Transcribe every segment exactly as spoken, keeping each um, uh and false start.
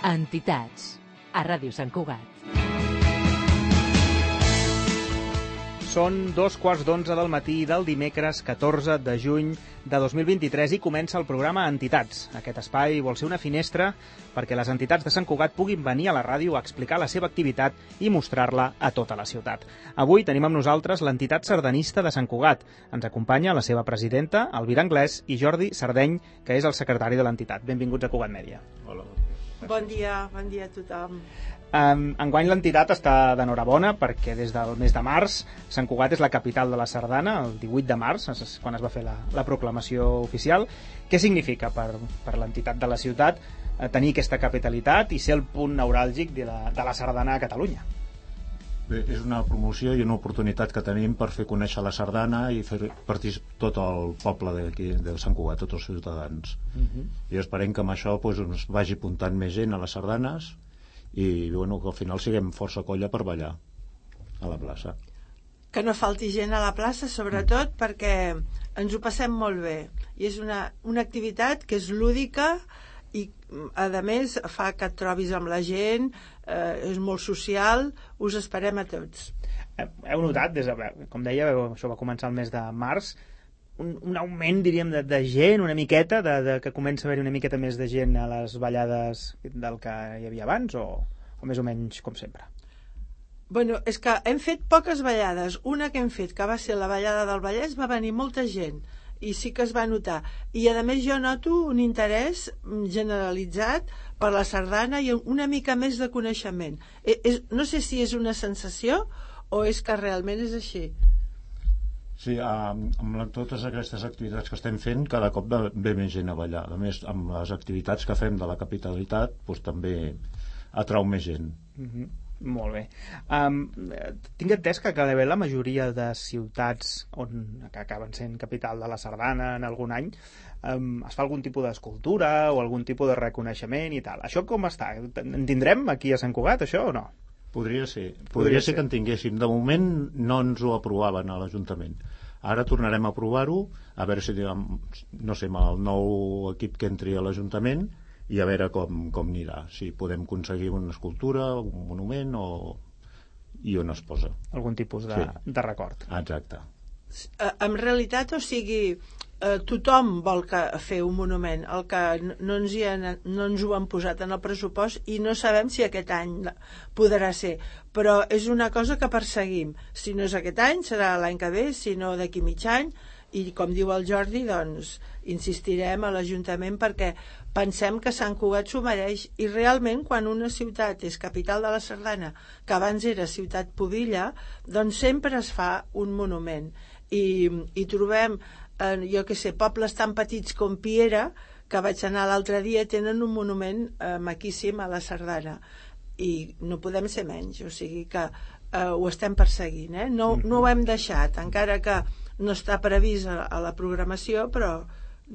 Entitats, a Ràdio Sant Cugat. Són dos quarts d'onze del matí del dimecres catorze de juny de dos mil vint-i-tres i comença el programa Entitats. Aquest espai vol ser una finestra perquè les entitats de Sant Cugat puguin venir a la ràdio a explicar la seva activitat i mostrar-la a tota la ciutat. Avui tenim amb nosaltres l'entitat sardanista de Sant Cugat. Ens acompanya la seva presidenta, Elvira Anglès, i Jordi Sardeny, que és el secretari de l'entitat. Benvinguts a Cugat Mèdia. Hola. Bon dia, bon dia a tothom. Um, enguany l'entitat està d'enhorabona perquè des del mes de març Sant Cugat és la capital de la sardana, el divuit de març, és quan es va fer la, la proclamació oficial. Què significa per, per l'entitat de la ciutat eh, tenir aquesta capitalitat i ser el punt neuràlgic de la, de la sardana a Catalunya? Bé, és una promoció i una oportunitat que tenim per fer conèixer la sardana i fer participar tot el poble d'aquí, de Sant Cugat, tots els ciutadans. Uh-huh. I esperem que amb això doncs, ens vagi apuntant més gent a les sardanes i bueno, que al final siguem força colla per ballar a la plaça. Que no falti gent a la plaça, sobretot, mm. perquè ens ho passem molt bé. I és una, una activitat que és lúdica i, a més, fa que et trobis amb la gent, eh, és molt social, us esperem a tots. Heu notat, des de, com deia, això va començar el mes de març, un, un augment, diríem, de, de gent, una miqueta, de, de que comença a haver una miqueta més de gent a les ballades del que hi havia abans, o, o més o menys com sempre? Bueno, és que hem fet poques ballades. Una que hem fet, que va ser la ballada del Vallès, va venir molta gent, i sí que es va notar. I a més jo noto un interès generalitzat per la sardana i una mica més de coneixement. És, no sé si és una sensació o és que realment és així. Sí, amb, amb totes aquestes activitats que estem fent, cada cop ve més gent a ballar. A més, amb les activitats que fem de la capitalitat, doncs, també atrau més gent. Mm-hmm. Molt bé. Um, tinc entès que gairebé la majoria de ciutats on, que acaben sent capital de la sardana en algun any um, es fa algun tipus d'escultura o algun tipus de reconeixement i tal. Això com està? En tindrem aquí a Sant Cugat, això, o no? Podria ser. Podria, Podria ser que en tinguéssim. De moment no ens ho aprovaven a l'Ajuntament. Ara tornarem a provar-ho, a veure si, no sé, amb el nou equip que entri a l'Ajuntament i a veure com, com anirà. Si podem aconseguir una escultura, un monument o... i on es posa. Algun tipus de, sí. de record. Exacte. En realitat, o sigui, eh, tothom vol que fer un monument. El que no ens, hi ha, no ens ho han posat en el pressupost i no sabem si aquest any podrà ser. Però és una cosa que perseguim. Si no és aquest any, serà l'any que ve, si no d'aquí mig any. I com diu el Jordi, doncs insistirem a l'Ajuntament perquè pensem que Sant Cugat s'ho mereix i realment quan una ciutat és capital de la sardana, que abans era ciutat pubilla, doncs sempre es fa un monument i, i trobem, eh, jo què sé, pobles tan petits com Piera, que vaig anar l'altre dia, tenen un monument eh, maquíssim a la sardana i no podem ser menys, o sigui que eh, ho estem perseguint, eh? no, no ho hem deixat, encara que no està previst a, a la programació, però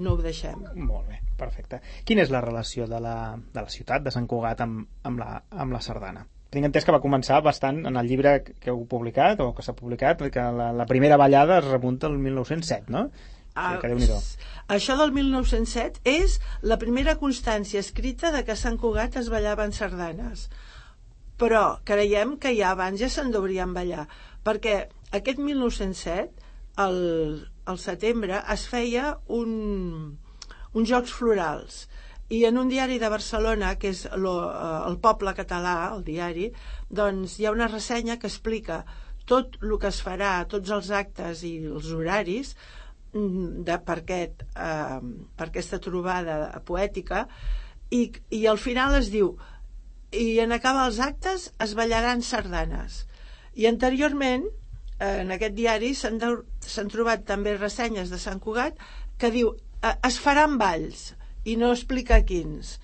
no ho deixem. Molt bé, perfecte. Quina és la relació de la, de la ciutat de Sant Cugat amb, amb, la, amb la sardana? Tinc entès que va començar bastant en el llibre que heu publicat, o que s'ha publicat, que la, la primera ballada es remunta al mil nou-cents set, no? Ah, que Déu-n'hi-do. Això del mil nou-cents set és la primera constància escrita de que a Sant Cugat es ballaven sardanes. Però creiem que ja abans ja se'n deurien ballar, perquè aquest mil nou-cents set Al, al setembre es feia un, uns Jocs Florals i en un diari de Barcelona, que és lo, el Poble Català, el diari, doncs hi ha una ressenya que explica tot el que es farà, tots els actes i els horaris de, per, aquest, eh, per aquesta trobada poètica i, i al final es diu i en acabar els actes es ballaran sardanes i anteriorment en aquest diari s'han, de, s'han trobat també ressenyes de Sant Cugat que diu es faran balls i no explica quins,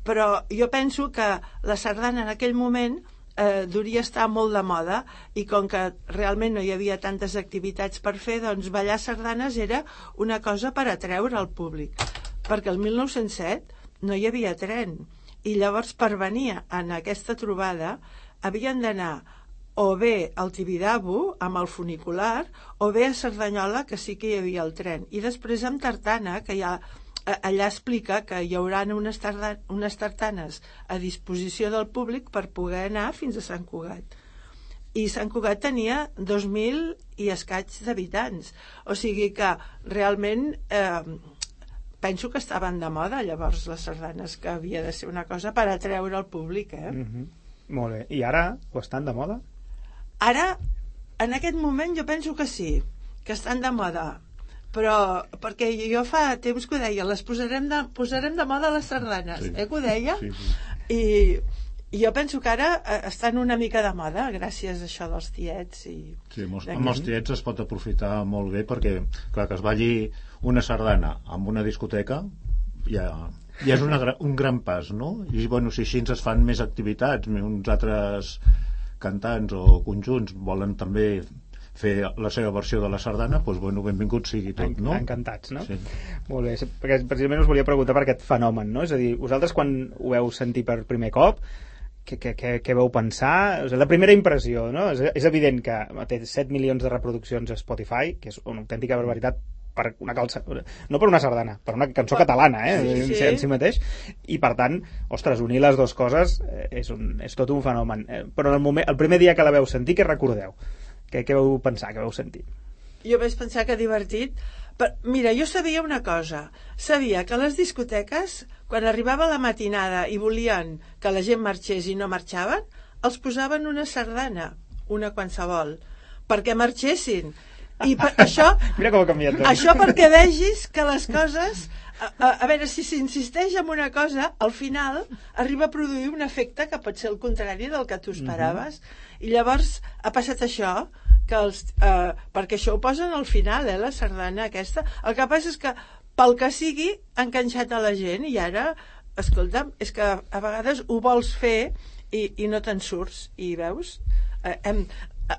però jo penso que la sardana en aquell moment eh, duria estar molt de moda i com que realment no hi havia tantes activitats per fer, doncs ballar sardanes era una cosa per atreure al públic, perquè el mil nou-cents set no hi havia tren i llavors per venir en aquesta trobada havien d'anar o bé al Tibidabo amb el funicular o bé a Cerdanyola, que sí que hi havia el tren, i després amb Tartana, que ja allà explica que hi haurà unes, tarda, unes tartanes a disposició del públic per poder anar fins a Sant Cugat. I Sant Cugat tenia dos mil i escaig d'habitants. O sigui que realment eh, penso que estaven de moda llavors les sardanes, que havia de ser una cosa per atreure el públic. Eh? Mm-hmm. Molt bé. I ara ho estan de moda? Ara, en aquest moment, jo penso que sí, que estan de moda. Però, perquè jo fa temps que ho deia, les posarem de, posarem de moda les sardanes, sí. eh, que ho deia? Sí, sí. I, I jo penso que ara estan una mica de moda, gràcies a això dels tiets. I sí, amb els, amb els tiets es pot aprofitar molt bé, perquè, clar, que es balli una sardana amb una discoteca, ja, ja és una, un gran pas, no? I, bueno, si així ens fan més activitats, uns altres cantants o conjunts volen també fer la seva versió de la sardana, doncs, bueno, benvingut sigui tot, no? Encantats, no? Sí. Molt bé, perquè precisament us volia preguntar per aquest fenomen, no? És a dir, vosaltres quan ho veu sentir per primer cop, què, què, què, què veu pensar? O sigui, la primera impressió, no? És, és evident que té set milions de reproduccions a Spotify, que és una autèntica barbaritat per una calça, no per una sardana, per una cançó catalana, eh? Sí, sí. En si mateix, i per tant, ostres, unir les dues coses és, un, és tot un fenomen. Però el, moment, el primer dia que la veu sentir, què recordeu? Què, què vau pensar, què vau sentir? Jo vaig pensar que divertit. Però, mira, jo sabia una cosa. Sabia que a les discoteques, quan arribava la matinada i volien que la gent marxés i no marxaven, els posaven una sardana, una qualsevol, perquè marxessin. I per això, mira com ha canviat tot. Això perquè vegis que les coses, a, a, a veure, si s'insisteix en una cosa, al final arriba a produir un efecte que pot ser el contrari del que tu esperaves. Mm-hmm. I llavors ha passat això, que els, eh, perquè això ho posen al final, eh, la sardana aquesta. El que passa és que, pel que sigui, ha enganxat a la gent, i ara, escolta'm, és que a vegades ho vols fer i, i no te'n surts, i veus? Eh, hem,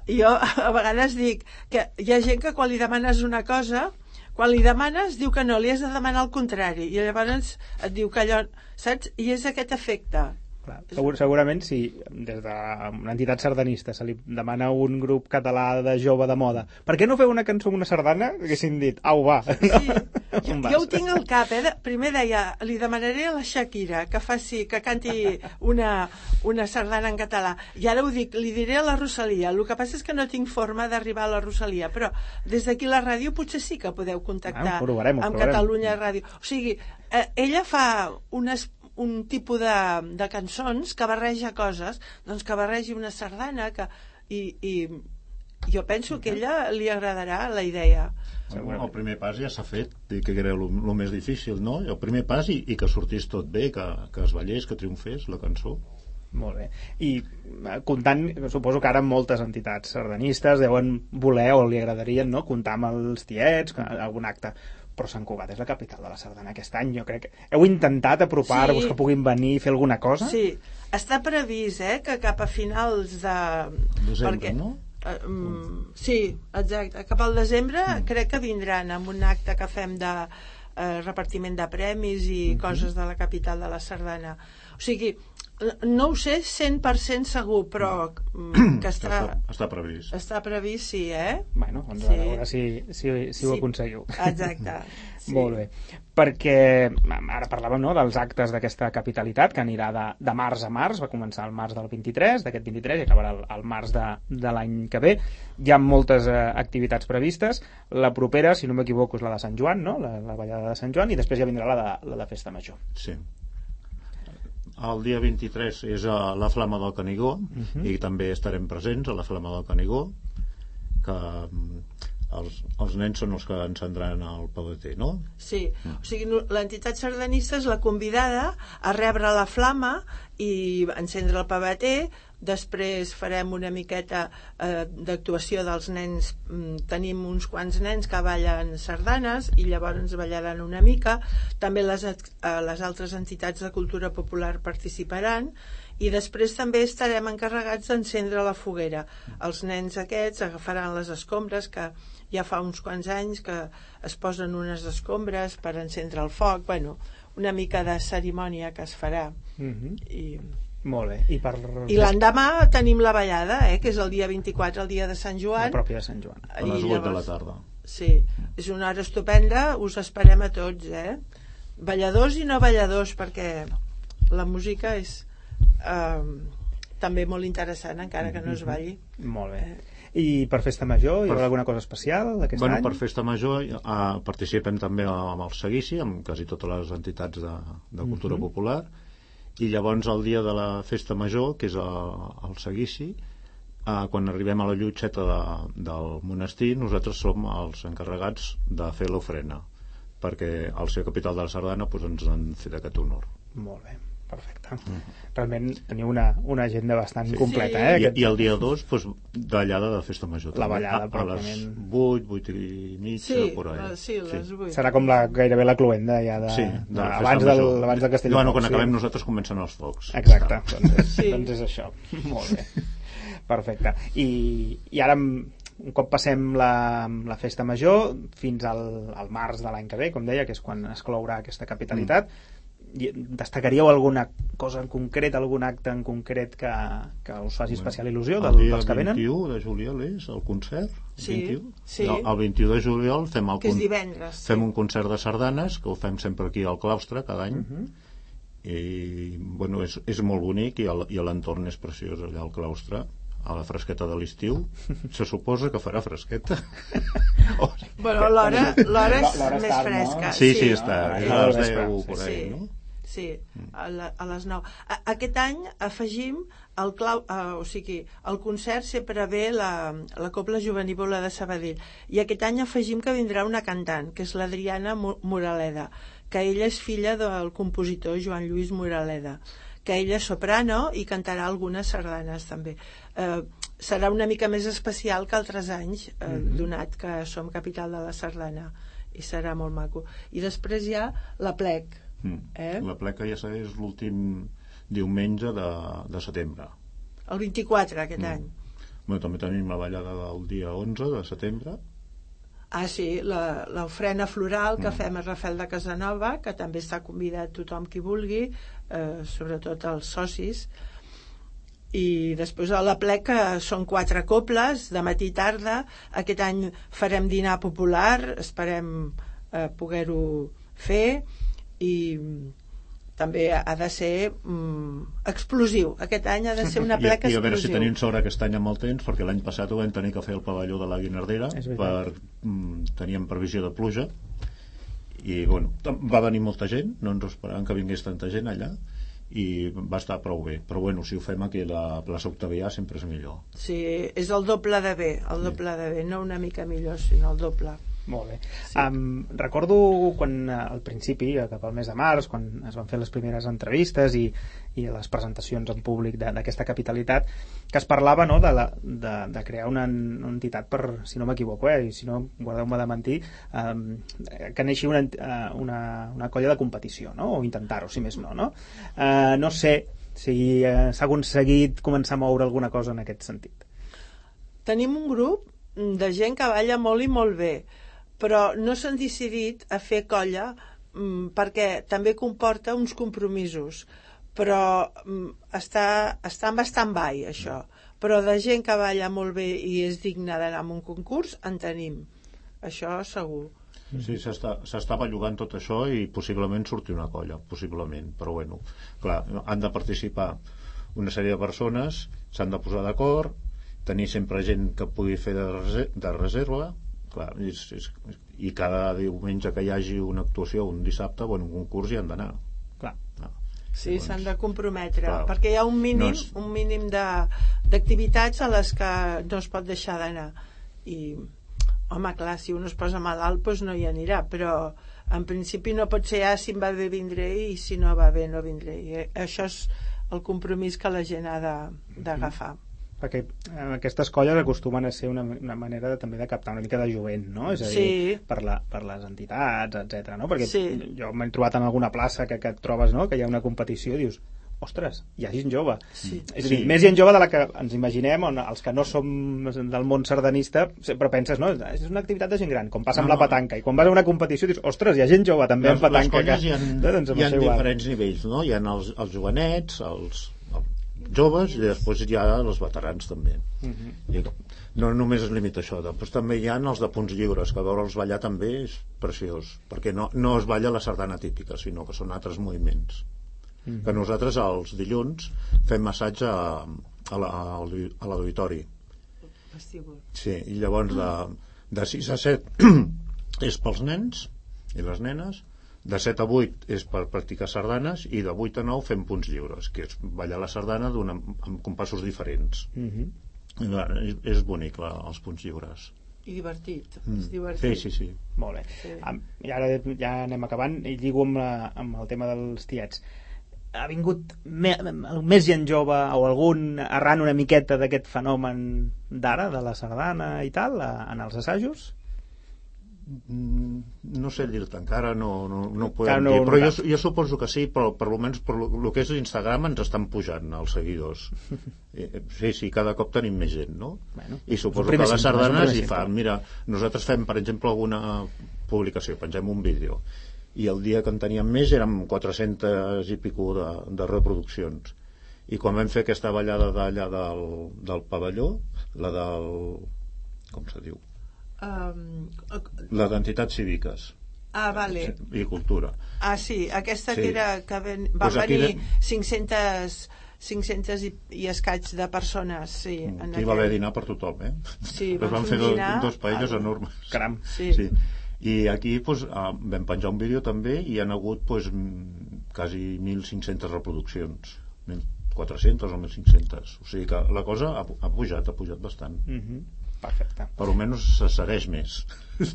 jo a vegades dic que hi ha gent que quan li demanes una cosa, quan li demanes diu que no, li has de demanar el contrari, i llavors et diu que allò, saps? I és aquest efecte. Clar, segur, segurament si des d'una entitat sardanista se li demana a un grup català de jove de moda, per què no feu una cançó amb una sardana? Haguessin dit, au va, no? Sí. Jo, jo ho tinc al cap, eh? Primer deia, li demanaré a la Shakira que faci, que canti una, una sardana en català, i ara ho dic, li diré a la Rosalia. El que passa és que no tinc forma d'arribar a la Rosalia, però des d'aquí la ràdio potser sí que podeu contactar ah, provarem, amb provarem. Catalunya Ràdio. O sigui, eh, ella fa unes un tipus de, de cançons que barreja coses, doncs que barregi una sardana, que, i, i jo penso que a ella li agradarà la idea. Bueno, el primer pas ja s'ha fet, que era el, el més difícil, no? El primer pas i, i que sortís tot bé, que, que es ballés, que triomfés la cançó. Molt bé. I comptant, suposo que ara moltes entitats sardanistes deuen voler o li agradarien, no?, comptar amb els tiets, algun acte. Però Sant Cugat és la capital de la sardana aquest any. Jo crec que heu intentat apropar-vos, sí, que puguin venir i fer alguna cosa? Sí, està previst, eh, que cap a finals de... desembre, perquè, no? Uh, um, sí, exacte. Cap al desembre mm. crec que vindran amb un acte que fem de uh, repartiment de premis i mm-hmm. coses de la capital de la sardana. O sigui, no ho sé cent per cent segur, però mm, que està, està, està previst. Està previst, sí, eh? Bueno, doncs sí. A veure si, si, si ho sí. aconseguiu. Exacte. Sí. Molt bé. Perquè ara parlàvem, no, dels actes d'aquesta capitalitat, que anirà de, de març a març, va començar el març del vint-i-tres, d'aquest vint-i-tres, i acabarà el, el març de, de l'any que ve. Hi ha moltes eh, activitats previstes. La propera, si no m'equivoco, és la de Sant Joan, no? La, la ballada de Sant Joan, i després ja vindrà la de, la de Festa Major. Sí. El dia vint-i-tres és a la Flama del Canigó, uh-huh. i també estarem presents a la Flama del Canigó, que els, els nens són els que encendran el pebetер, no? Sí, uh. o sigui, l'entitat sardanista és la convidada a rebre la flama i encendre el pebetер. Després farem una miqueta eh, d'actuació dels nens. Tenim uns quants nens que ballen sardanes i llavors ens ballaran una mica. També les, eh, les altres entitats de cultura popular participaran, i després també estarem encarregats d'encendre la foguera. Els nens aquests agafaran les escombres, que ja fa uns quants anys que es posen unes escombres per encendre el foc. Bueno, una mica de cerimònia que es farà. Mm-hmm. I... Molt bé. I, per... I l'endemà tenim la ballada, eh, que és el dia vint-i-quatre, el dia de Sant Joan. La pròpia de Sant Joan. A les vuit de la tarda. Sí, és una hora estupenda, us esperem a tots, eh? balladors i no balladors, perquè la música és eh, també molt interessant, encara que no es balli. Molt bé. I per Festa Major hi haurà alguna cosa especial aquest bueno, any? Per Festa Major eh, participem també amb el Seguici, amb quasi totes les entitats de, de cultura uh-huh. popular, i llavors el dia de la Festa Major, que és el, el Seguici, eh, quan arribem a la llotxeta de, del monestir, nosaltres som els encarregats de fer l'ofrena, perquè al ser capital de la Sardana doncs, ens han fet aquest honor. Molt bé, perfecte. Mm. Realment teniu una, una agenda bastant sí. completa. Sí. Eh, I, aquest... I el dia dos, doncs, ballada de Festa Major. La ballada, a, a les vuit, vuit i mitja, sí, por ahí. Sí, les vuit. Serà com la, gairebé la cluenda ja de, sí, de, de abans, del, abans del Castelló. Bueno, quan sí. acabem nosaltres comencen els focs. Exacte, doncs és, sí. doncs és això. Molt bé. Perfecte. I, i ara, un cop passem la, la Festa Major, fins al, al març de l'any que ve, com deia, que és quan es clourà aquesta capitalitat, mm. destacaríeu alguna cosa en concret, algun acte en concret que, que us faci bueno, especial il·lusió del, dels que venen? El dia vint-i-u de juliol és el concert? Sí, vint-i-u? sí. El, el vint-i-u de juliol fem, el que és divendres, fem sí. un concert de sardanes, que ho fem sempre aquí al claustre cada any, uh-huh. i bueno, és, és molt bonic i, el, i l'entorn és preciós allà al claustre, a la fresqueta de l'estiu. Se suposa que farà fresqueta. oh, bueno, l'hora, l'hora és l'hora més tard, fresca. No? Sí, sí, sí, no? està. No? És a les deu, per ahí, sí. no? Sí, a, la, a les nou. A, aquest any afegim el clau, uh, o sigui, el concert sempre ve la, la Cobla Jovenívola de Sabadell, i aquest any afegim que vindrà una cantant, que és l'Adriana Moraleda, que ella és filla del compositor Joan Lluís Moraleda, que ella és soprano i cantarà algunes sardanes també. Eh, serà una mica més especial que altres anys, eh, mm-hmm. donat que som capital de la sardana, i serà molt maco. I després hi ha l'Aplec. Mm. Eh? L'Aplec ja és l'últim diumenge de, de setembre. El vint-i-quatre aquest mm. any. Bueno, també tenim la ballada del dia onze de setembre. Ah, sí, l'ofrena floral que mm. fem a Rafel de Casanova, que també està convidat tothom qui vulgui, eh, sobretot els socis. I després a l'Aplec, que són quatre coples, de matí i tarda. Aquest any farem dinar popular, esperem eh, poder-ho fer, i també ha de ser mm, explosiu. Aquest any ha de ser una plec explosiu. I a veure si tenim sort aquest any amb el temps, perquè l'any passat ho vam tenir que fer el pavelló de la Guinardera, per, mm, teníem previsió de pluja, i bueno, va venir molta gent, no ens esperàvem que vingués tanta gent allà, i va estar prou bé, però bueno, si ho fem aquí a la plaça Octavià sempre és millor. Sí, és el doble de bé, el doble de bé, no una mica millor, sinó el doble. Molt bé. Sí. Um, recordo quan al principi, cap al mes de març, quan es van fer les primeres entrevistes i, i les presentacions en públic d'aquesta capitalitat, que es parlava, no, de, la, de, de crear una, una entitat per, si no m'equivoco, eh, i si no, guardeu-me de mentir, um, que neixi una, una, una colla de competició, no? O intentar-ho, si més no, no? Uh, no sé si uh, s'ha aconseguit començar a moure alguna cosa en aquest sentit. Tenim un grup de gent que balla molt i molt bé, però no s'han decidit a fer colla mm, perquè també comporta uns compromisos, però mm, està, està en stand-by això, però de gent que balla molt bé i és digna d'anar a un concurs en tenim, això segur. Sí, s'està bellugant tot això i possiblement surti una colla, possiblement, però bueno, clar, han de participar una sèrie de persones, s'han de posar d'acord, tenir sempre gent que pugui fer de, reser de reserva. Clar, és, és, i cada diumenge que hi hagi una actuació, un dissabte, bueno, un concurs hi han d'anar. Clar. No. Sí, doncs, s'han de comprometre, clar, perquè hi ha un mínim, no és... un mínim d'activitats a les que no es pot deixar d'anar. I, home, clar, si un es posa malalt, doncs no hi anirà, però en principi no pot ser, ah, si em va bé vindré i si no va bé no vindré. I això és el compromís que la gent ha d'agafar. Mm. Perquè aquestes colles acostumen a ser una, una manera de, també de captar una mica de jovent, no? És a dir, sí. per, la, per les entitats, etcètera, no? Perquè sí. jo m'he trobat en alguna plaça que, que et trobes, no?, que hi ha una competició i dius, ostres, hi ha gent jove. Sí. És a dir, sí. més gent jove de la que ens imaginem, on els que no som del món sardanista sempre penses, no, és una activitat de gent gran, com passa amb no, la petanca, i quan vas a una competició dius, ostres, hi ha gent jove també les, en petanca. Les colles que, hi ha, doncs hi ha diferents nivells, no? Hi ha els, els jovenets, els... joves i després hi ha els veterans també. Uh-huh. I no només es limita a això, després també hi ha els de punts lliures, que veure'ls ballar també és preciós, perquè no, no es balla la sardana típica, sinó que són altres moviments. Uh-huh. Que nosaltres els dilluns fem massatge a, a, la, a l'auditori. Sí, i llavors de, de sis a set és pels nens i les nenes, de set a vuit és per practicar sardanes i de vuit a nou fem punts lliures, que és ballar la sardana amb compassos diferents. Uh-huh. és, és bonic la, els punts lliures i divertit, mm. és divertit. Sí, sí, sí. Molt bé. Sí. I ara ja anem acabant i lligo amb, la, amb el tema dels tiets. Ha vingut me, més gent jove o algun arran una miqueta d'aquest fenomen d'ara, de la sardana i tal, en els assajos? No sé dir-te, encara no, no, no ho podem no, dir, però no jo, jo suposo que sí, però per almenys per el que és l'Instagram ens estan pujant els seguidors. Sí, sí, cada cop tenim més gent, no? Bueno, i suposo que les sardanes hi fan, mira, nosaltres fem per exemple alguna publicació, pengem un vídeo i el dia que en teníem més érem quatre-centes i pico de, de reproduccions, i quan vam fer aquesta ballada d'allà del, del pavelló, la del... com se diu? Um, les entitats cíviques. Ah, vale. I cultura. Ah, sí, aquesta sí. que era que ven, van pues venir de... cinc-centes cinc-centes i, i escaig de persones, sí. Aquí aquell... va haver dinar per tothom, eh? Sí, van, van fer dinar... dos, dos paelles ah, enormes. Caram. Sí. sí. I aquí pues, vam penjar un vídeo també i hi han hagut pues, quasi mil cinc-centes reproduccions. mil quatre-centes o mil cinc-centes. O sigui que la cosa ha, ha pujat, ha pujat bastant. Mhm. Mm. Perfecte. Per almenys se segueix més.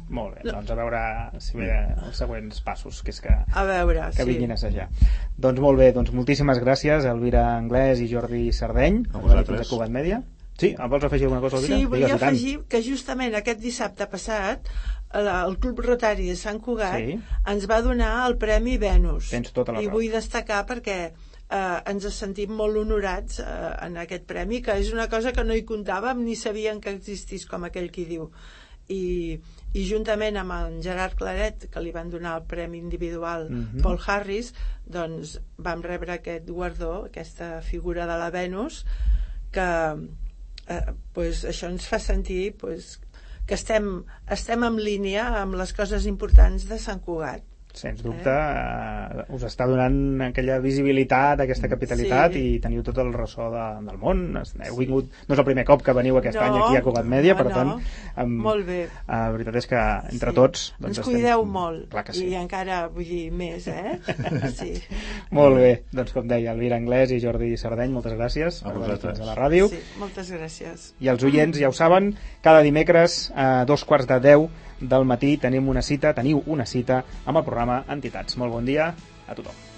Molt bé, doncs a veure si ve els següents passos, que és que, a veure, que sí. vinguin a assajar. Doncs molt bé, doncs moltíssimes gràcies a Elvira Anglès i Jordi Sardeny, a vosaltres. De Cugat Mèdia. Sí, em vols afegir alguna cosa, Elvira? Sí, volia afegir que justament aquest dissabte passat el Club Rotari de Sant Cugat sí. ens va donar el Premi Venus. Tens tota la I raó. vull destacar perquè eh, ens sentim molt honorats eh, en aquest premi, que és una cosa que no hi comptàvem ni sabíem que existís, com aquell qui diu. I, i juntament amb en Gerard Claret, que li van donar el premi individual mm-hmm. Paul Harris, doncs vam rebre aquest guardó, aquesta figura de la Venus, que eh, pues, això ens fa sentir pues, que estem, estem en línia amb les coses importants de Sant Cugat. Sens dubte, eh? us està donant aquella visibilitat, aquesta capitalitat sí. i teniu tot el ressò de, del món. Heu vingut, no és el primer cop que veniu aquest no, any aquí a Cugat Mèdia, no, per tant no. amb, molt bé. La uh, veritat és que entre sí. tots doncs, ens cuideu estem... molt Clar que sí. i encara vull dir més eh? sí. Molt bé, doncs com deia Elvira Anglès i Jordi Sardeny, moltes gràcies a per venir fins a la ràdio. ràdio Sí, moltes gràcies. I els oients ja ho saben, cada dimecres a dos quarts de deu del matí tenim una cita, teniu una cita amb el programa Entitats. Molt bon dia a tothom.